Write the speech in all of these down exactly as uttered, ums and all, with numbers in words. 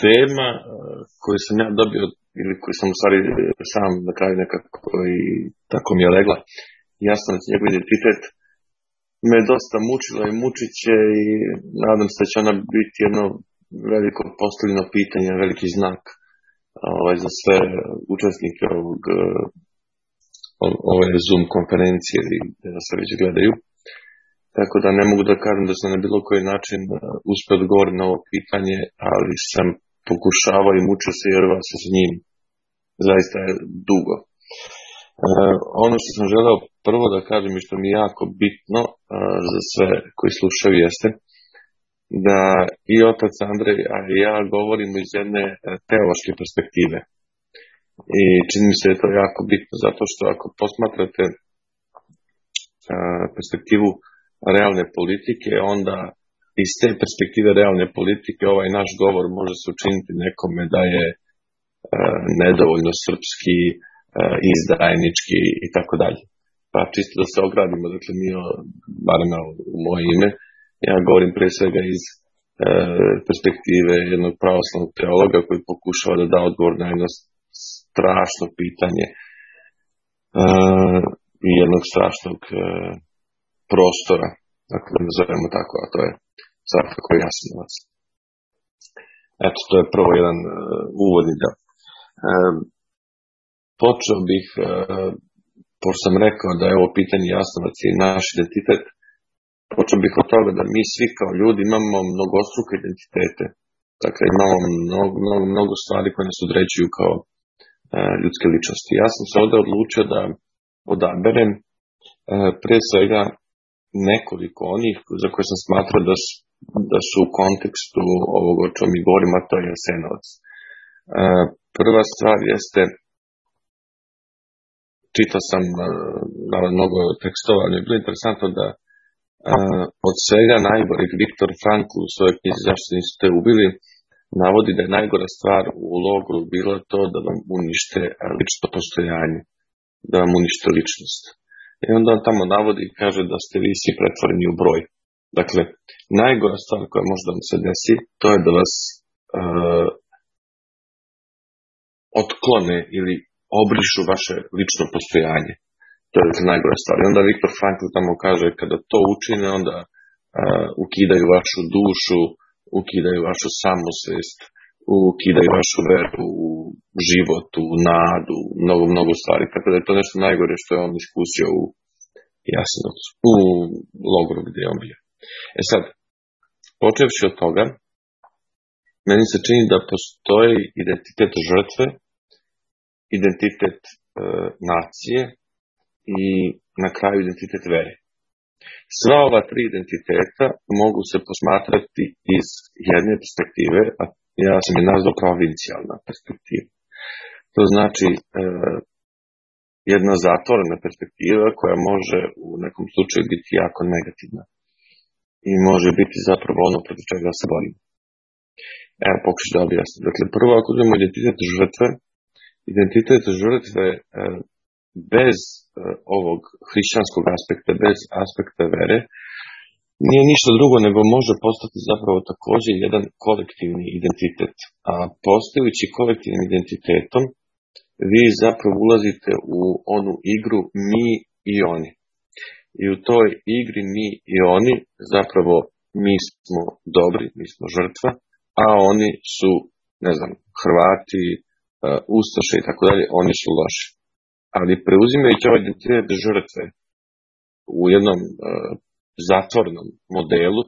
tema koju sam ja dobio, ili koju sam u stvari sam na kraju nekako i tako mi je legla, jasno da njegov identitet me dosta mučila i mučit će i nadam se da će ona biti jedno veliko postavljeno pitanje, veliki znak ovaj, za sve učesnike ovog, ove Zoom konferencije ili da se već gledaju. Tako da ne mogu da kažem da sam na bilo koji način uspio odgovoriti na ovo pitanje, ali sam pokušavao i mučio se jer vas s njim zaista je dugo. E, ono što sam želeo prvo da kažem i što mi je jako bitno a, za sve koji slušaju jeste da i otac Andrej, a i ja govorimo iz jedne teološke perspektive. I čini mi se da je to jako bitno, zato što ako posmatrate a, perspektivu realne politike, onda iz te perspektive realne politike ovaj naš govor može se učiniti nekome da je a, nedovoljno srpski, a, izdajnički i tako dalje. Pa čisto da se ogradimo, dakle mi, barem u moje ime, ja govorim pre svega iz e, perspektive jednog pravoslavnog teologa koji pokušava da da odgovor na jedno strašno pitanje e, i jednog strašnog e, prostora, dakle da nazovemo tako, a to je svakako Jasenovac. Eto, to je prvo jedan uh, uvodni deo. E, počeo bih, uh, pošto sam rekao da je ovo pitanje Jasenovac i naš identitet, počeo bih od toga da mi svi kao ljudi imamo mnogostruke identitete. Dakle, imamo mnogo, mnogo, mnogo stvari koje nas određuju kao uh, ljudske ličnosti. Ja sam se ovdje odlučio da odaberem uh, pre svega nekoliko onih za koje sam smatrao da su, da su u kontekstu ovoga o čemu mi govorimo, a to je Jasenovac. Uh, prva stvar jeste, čitao sam uh, mnogo tekstova, ali je bilo interesantno da uh, od svega najgoreg Viktor Frankl u svojoj knjizi Zašto niste ubili navodi da je najgora stvar u logoru bilo to da vam unište lično postojanje, da vam unište ličnost. I onda on tamo navodi i kaže da ste vi svi pretvoreni u broj. Dakle, najgora stvar koja može da vam se desi, to je da vas uh, otklone ili obrišu vaše lično postojanje. To je dakle, najgora stvar. I onda Viktor Frankl tamo kaže kada to učine, onda uh, ukidaju vašu dušu, ukidaju vašu samosvest, ukidaju vašu veru u život, u nadu, mnogo, mnogo stvari. Tako da je to nešto najgore što je on iskusio u Jasenovcu, u logoru gdje je on bio. E sad, počevši od toga, meni se čini da postoji identitet žrtve, identitet e, nacije i na kraju identitet vere. Sva ova tri identiteta mogu se posmatrati iz jedne perspektive, a ja sam je nazvao provincijalna perspektiva. To znači e, jedna zatvorena perspektiva koja može u nekom slučaju biti jako negativna i može biti zapravo ono protiv čega se borimo. Evo, pokušaj da objasnim. Dakle, prvo ako uzmemo identitet žrtve, identitet žrtve e, bez e, ovog hrišćanskog aspekta, bez aspekta vere, nije ništa drugo nego može postati zapravo također jedan kolektivni identitet. A postojući kolektivnim identitetom, vi zapravo ulazite u onu igru mi i oni. I u toj igri mi i oni zapravo mi smo dobri, mi smo žrtva, a oni su, ne znam, Hrvati, uh, Ustaše i tako dalje, oni su loši. Ali preuzimajući ovaj identitet žrtve u jednom uh, zatvornom modelu,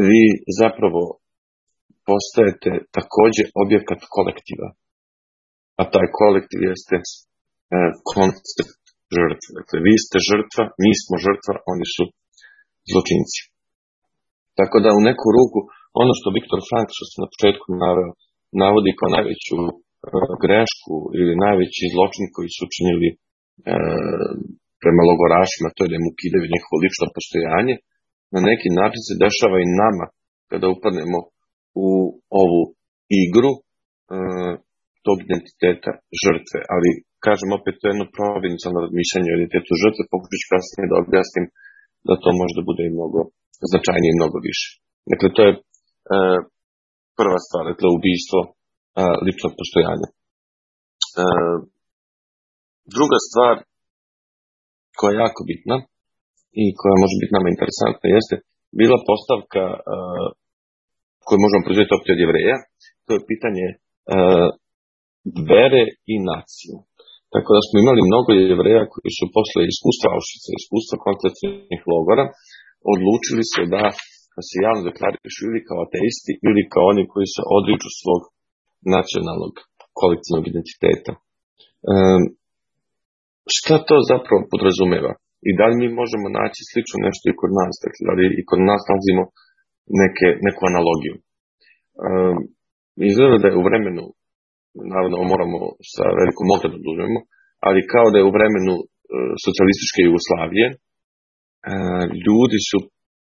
vi zapravo postajete također objekat kolektiva. A taj kolektiv jeste uh, koncept žrtve. Dakle, vi ste žrtva, mi smo žrtva, oni su zločinci. Tako da u neku ruku, ono što Viktor Frankl, što sam na početku naveo, navodi kao najveću uh, grešku ili najveći zločin koji su učinili uh, prema logorašima, to je da im ukidaju njihovo lično postojanje, na neki način se dešava i nama kada upadnemo u ovu igru uh, tog identiteta žrtve. Ali, kažem opet, to je jedno provincijalno razmišljanje o identitetu žrtve, pokušat ću kasnije da objasnim da to možda bude i mnogo značajnije i mnogo više. Dakle, to je uh, prva stvar, dakle ubistvo a, ličnog postojanja. A, druga stvar koja je jako bitna i koja može biti nama interesantna jeste bila postavka a, koju možemo proizvesti opet od Jevreja, to je pitanje a, vere i nacije. Tako da smo imali mnogo Jevreja koji su posle iskustva Auschwitza, iskustva koncentracionih logora, odlučili se da se javno deklarišu ili kao ateisti ili kao oni koji se odriču svog nacionalnog kolektivnog identiteta. Um, šta to zapravo podrazumeva? I da li mi možemo naći slično nešto i kod nas? Dakle, da li i kod nas nalazimo neke, neku analogiju? Um, izgleda da je u vremenu, naravno moramo sa velikom odredom da uzmemo, ali kao da je u vremenu uh, socijalističke Jugoslavije uh, ljudi su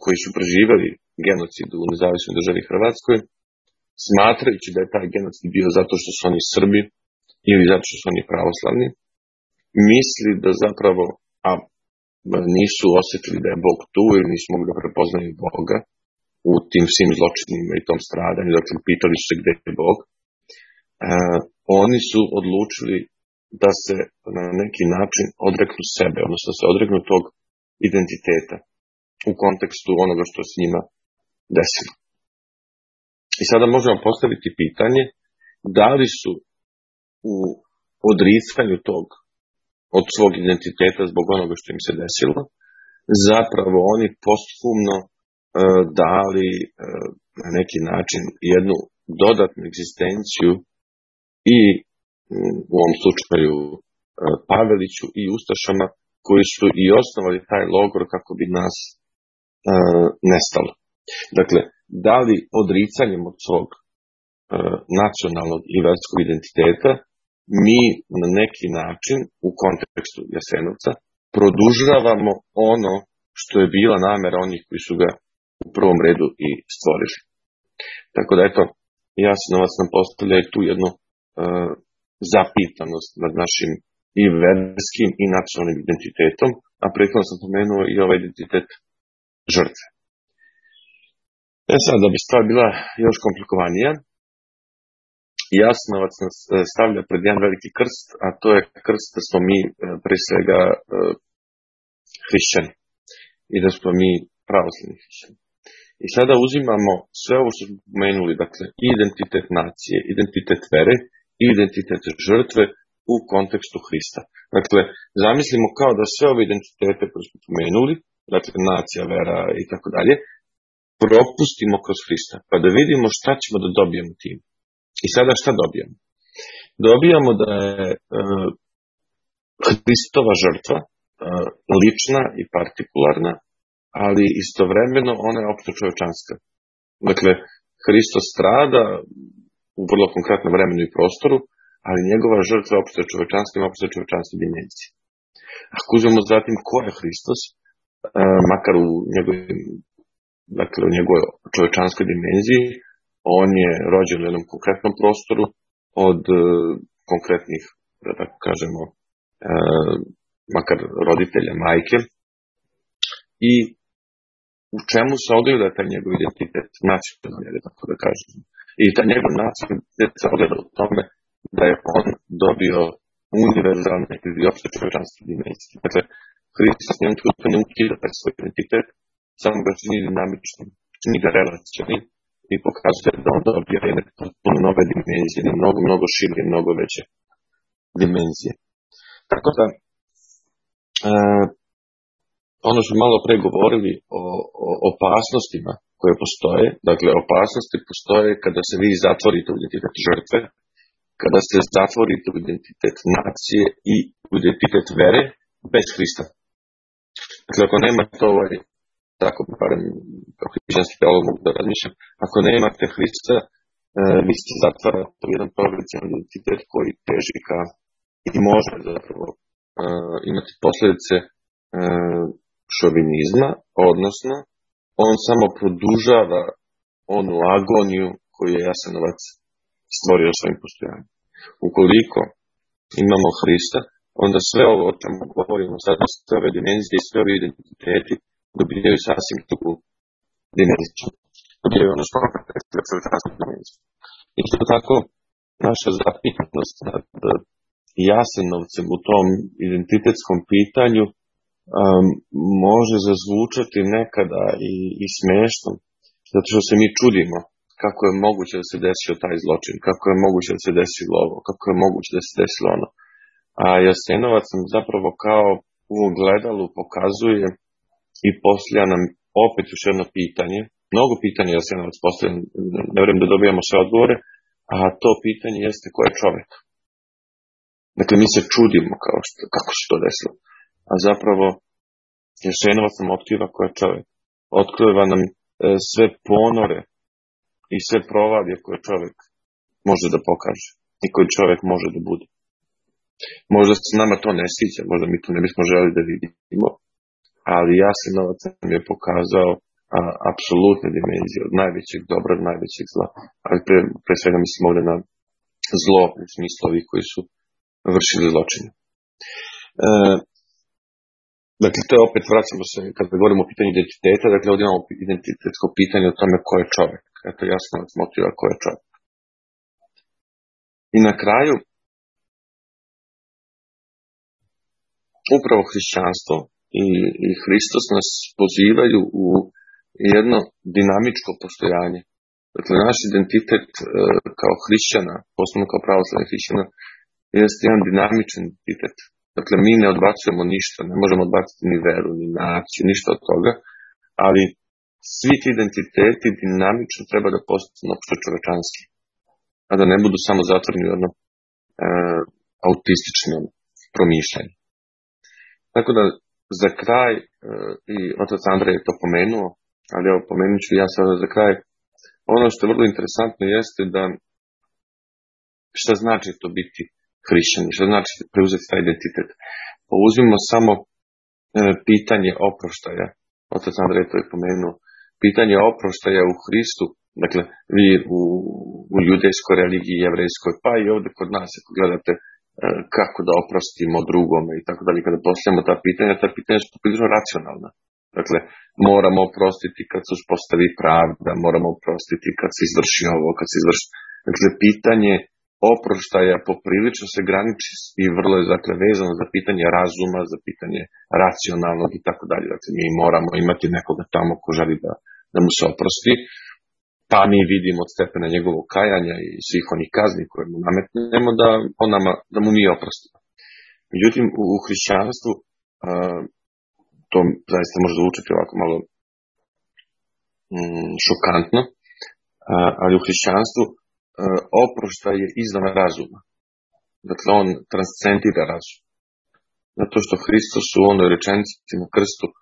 koji su preživjeli genocid u nezavisnoj državi Hrvatskoj, smatrajući da je taj genocid bio zato što su oni Srbi ili zato što su oni pravoslavni, misli da zapravo, a nisu osjetili da je Bog tu ili nisu mogli da prepoznaju Boga u tim svim zločinima i tom stradanju, dakle pitali su se gde je Bog, e, oni su odlučili da se na neki način odreknu sebe, odnosno da se odreknu tog identiteta u kontekstu onoga što se njima desilo. I sada možemo postaviti pitanje da li su u odricanju tog od svog identiteta zbog onoga što im se desilo zapravo oni posthumno e, dali e, na neki način jednu dodatnu egzistenciju i u ovom slučaju e, Paveliću i Ustašama koji su i osnovali taj logor kako bi nas e, nestalo. Dakle, da li odricanjem od svog e, nacionalnog i verskog identiteta mi na neki način u kontekstu Jasenovca produžavamo ono što je bila namera onih koji su ga u prvom redu i stvorili. Tako da eto, Jasenovac nam postavlja i tu jednu e, zapitanost nad našim i verskim i nacionalnim identitetom, a prethodno sam pomenuo i ovaj identitet žrtve. E sad, da bi stvar bila još komplikovanija, Jasenovac nas stavlja pred jedan veliki krst, a to je krst da smo mi pre svega hrišćani i da smo mi pravoslavni hrišćani. I sada uzimamo sve ovo što smo pomenuli, dakle identitet nacije, identitet vere i identitet žrtve u kontekstu Hrista. Dakle, zamislimo kao da sve ove identitete koje smo pomenuli, dakle nacija, vera i tako dalje, propustimo kroz Hrista, pa da vidimo šta ćemo da dobijemo tim. I sada šta dobijamo? Dobijamo da je e, Hristova žrtva e, lična i partikularna, ali istovremeno ona je opšte čovečanska. Dakle, Hristos strada u vrlo konkretnom vremenu i prostoru, ali njegova žrtva je opšte čovečanska ima opšte čovečanske dimenzije. Ako uzmemo zatim ko je Hristos, e, makar u njegovoj, dakle, u njegovoj čovečanskoj dimenziji, on je rođen u jednom konkretnom prostoru od e, konkretnih, da tako kažemo, e, makar roditelja, majke. I u čemu se ogleda taj njegov identitet, nacionalni, tako da kažem. I taj njegov nacionalni identitet se ogleda u tome da je on dobio univerzalne ili opšte čovečanske dimenzije. Dakle, Hristos njem trenutno ne ukida taj svoj identitet, samo ga čini dinamičnim, čini ga relacionim i pokazuje da on dobio jedne potpuno nove dimenzije, mnogo, mnogo šire, mnogo veće dimenzije. Tako da, e, ono što malo pre govorili o, o opasnostima koje postoje, dakle opasnosti postoje kada se vi zatvorite u identitet žrtve, kada se zatvorite u identitet nacije i u identitet vere bez Hrista. Dakle, ako nemate ovaj, tako barem kao hrišćanski teolog mogu da razmišljam, ako nemate Hrista, e, vi ste zatvarate u jedan provincijalni identitet koji teži ka i može zapravo e, imati posljedice e, šovinizma, odnosno on samo produžava onu agoniju koju je Jasenovac stvorio svojim postojanjem. Ukoliko imamo Hrista, onda sve ovo o čemu govorimo sad, sve ove dimenzije i sve ove identiteti dobijaju sasvim drugu dimenziju. odjevio ono što predstavlja čovječansku dimenziju. Isto tako, naša zapitanost nad Jasenovcem u tom identitetskom pitanju um, može zazvučati nekada i, i smiješno, zato što se mi čudimo kako je moguće da se desio taj zločin, kako je moguće da se desilo ovo, kako je moguće da se desilo ono. A Jasenovac nam zapravo kao u ogledalu pokazuje i postavlja nam opet još jedno pitanje. Mnogo pitanja Jasenovac postavlja, ne vjerujem da dobijamo sve odgovore, a to pitanje jeste ko je čovjek. Dakle, mi se čudimo kao što, kako se to desilo. A zapravo, Jasenovac nam otkriva ko je čovjek. Otkriva nam e, sve ponore i sve provalije koje čovjek može da pokaže i koji čovjek može da bude. Možda se nama to ne sviđa, možda mi to ne bismo želi da vidimo, ali Jasenovac nam je pokazao a, apsolutne dimenzije od najvećeg dobra do najvećeg zla. Ali pre, pre svega mislim ovdje na zlo u smislu ovih koji su vršili zločine. E, dakle, to je opet, vraćamo se, kada govorimo o pitanju identiteta, dakle, ovdje imamo identitetsko pitanje o tome ko je čovjek. Eto, Jasenovac motiva ko je čovjek. I na kraju, upravo hrišćanstvo i, i Hristos nas pozivaju u jedno dinamičko postojanje. Dakle, naš identitet e, kao hrišćana, posebno kao pravoslavnih hrišćana, jeste jedan dinamičan identitet. Dakle, mi ne odbacujemo ništa, ne možemo odbaciti ni veru, ni naciju, ništa od toga, ali svi ti identiteti dinamično treba da postanu opšte čovečanski, a da ne budu samo zatvoreni u jedno e, autistično promišljanje. Tako da, za kraj, e, i otac Andrej je to pomenuo, ali evo pomenut ću ja sada za kraj, ono što je vrlo interesantno jeste da šta znači to biti hrišćani, šta znači preuzeti taj identitet. Pa uzmimo samo e, pitanje oproštaja, otac Andrej to je pomenuo, pitanje oproštaja u Hristu, dakle vi u, u judejskoj religiji, jevrejskoj, pa i ovdje kod nas, ako gledate e, kako da oprostimo drugome i tako dalje, kada postavljamo ta pitanja, ta pitanja su prilično racionalna. Dakle, moramo oprostiti kad se uspostavi pravda, moramo oprostiti kad se izvrši ovo, kad se izvrši... Dakle, pitanje oproštaja poprilično se graniči i vrlo je dakle vezano za pitanje razuma, za pitanje racionalnog i tako dalje. Dakle, mi moramo imati nekoga tamo ko želi da, da mu se oprosti, pa mi vidimo od stepena njegovog kajanja i svih onih kazni koje mu nametnemo da, on nama, da mu mi oprostimo. Međutim, u, u hrišćanstvu uh, to zaista može zvučati ovako malo mm, šokantno, uh, ali u hrišćanstvu uh, oproštaj je izvan razuma. Dakle, on transcendira razum. Zato što Hristos u onoj rečenici na krstu, uh,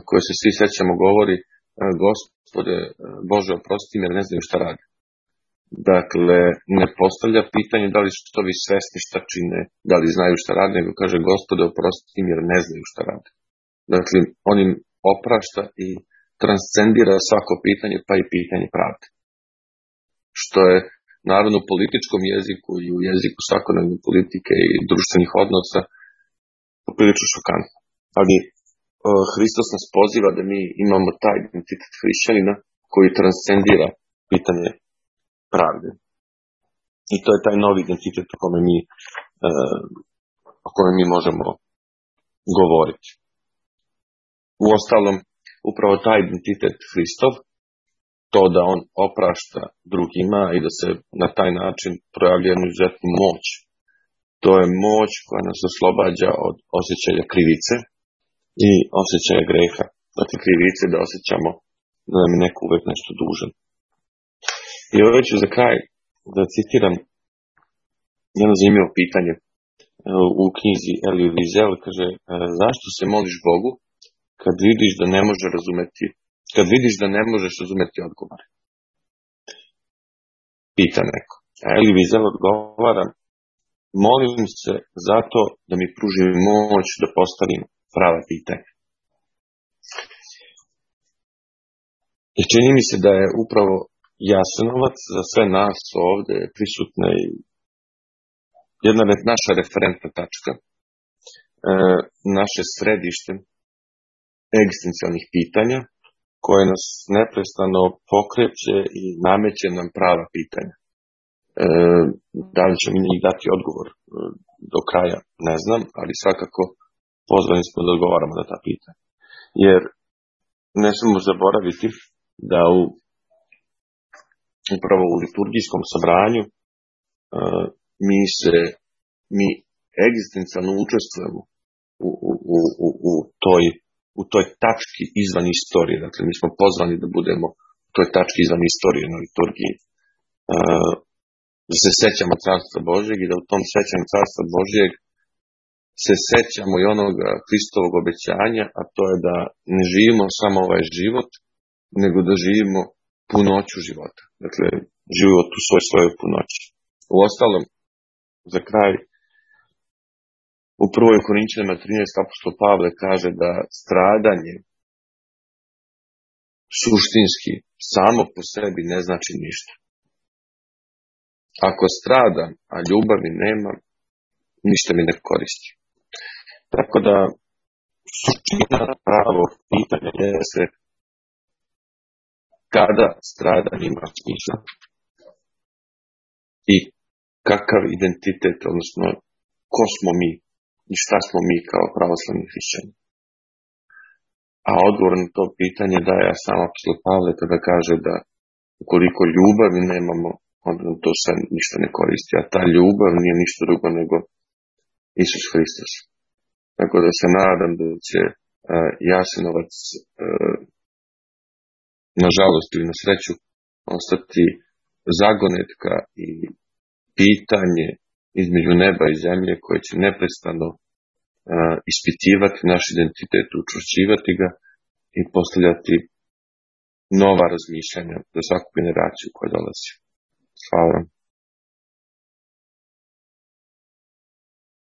koje se svi sećamo, govori uh, Gospode uh, Bože oprosti mi jer ne znaju šta radi. Dakle, ne postavlja pitanje da li su to vi svesni šta čine, da li znaju šta radi, nego kaže Gospode oprosti mi jer ne znaju šta radi. Dakle, on im oprašta i transcendira svako pitanje, pa i pitanje pravde. Što je, naravno, u političkom jeziku i u jeziku svakodnevne politike i društvenih odnosa poprilično šokantno. Ali uh, Hristos nas poziva da mi imamo taj identitet hrišćanina koji transcendira pitanje pravde. I to je taj novi identitet o kome mi, uh, o kome mi možemo govoriti. Uostalom, upravo taj identitet Hristov, to da on oprašta drugima i da se na taj način projavlja jednu izuzetnu moć, to je moć koja nas oslobađa od osjećaja krivice i osjećaja greha. Dakle, krivice da osjećamo da nam je neko uvek nešto dužan. I ovo ću za kraj da citiram jedno zanimljivo pitanje u knjizi Elie Wiesel, kaže, zašto se moliš Bogu kad vidiš da ne može razumeti, kad vidiš da ne možeš razumeti odgovor? Pita neko. A Elie Wiesel odgovara, molim se zato da mi pruži moć da postavim prava pitanja. I čini mi se da je upravo Jasenovac za sve nas ovdje prisutna i jedna naša referentna tačka, e, naše središte egzistencijalnih pitanja koje nas neprestano pokreće i nameće nam prava pitanja. E, da li ćemo njih dati odgovor e, do kraja, ne znam, ali svakako pozvani smo da odgovaramo na ta pitanja. Jer ne smemo zaboraviti da u upravo u liturgijskom sabranju e, mi se mi egzistencijalno učestvujemo u, u, u, u, toj, u toj tački izvan istorije. Dakle, mi smo pozvani da budemo u toj tački izvan istorije na liturgiji. E, da se sećamo Carstva Božjeg i da u tom sećanju Carstva Božjeg se sećamo i onog Hristovog obećanja, a to je da ne živimo samo ovaj život, nego da živimo punoću života. Dakle, život u svoj svojoj punoći. U ostalom, za kraj, u prvoj Korinćanima trinaest apostol Pavle kaže da stradanje suštinski samo po sebi ne znači ništa. Ako stradam, a ljubavi nema, ništa mi ne koristi. Tako da, suština pravog pitanja je se kada stradanje ima smisla i kakav identitet, odnosno ko smo mi i šta smo mi kao pravoslavni hrišćani. A odgovor na to pitanje daje sam apostol Pavle kada kaže da ukoliko ljubavi nemamo, onda to sve ništa ne koristi. A ta ljubav nije ništa drugo nego Isus Hristos. Tako da se nadam da će uh, Jasenovac uh, nažalost ili na sreću ostati zagonetka i pitanje između neba i zemlje koje će neprestano uh, ispitivati naš identitet, učvršćivati ga i postavljati nova razmišljanja za svaku generaciju koja dolazi. Hvala vam.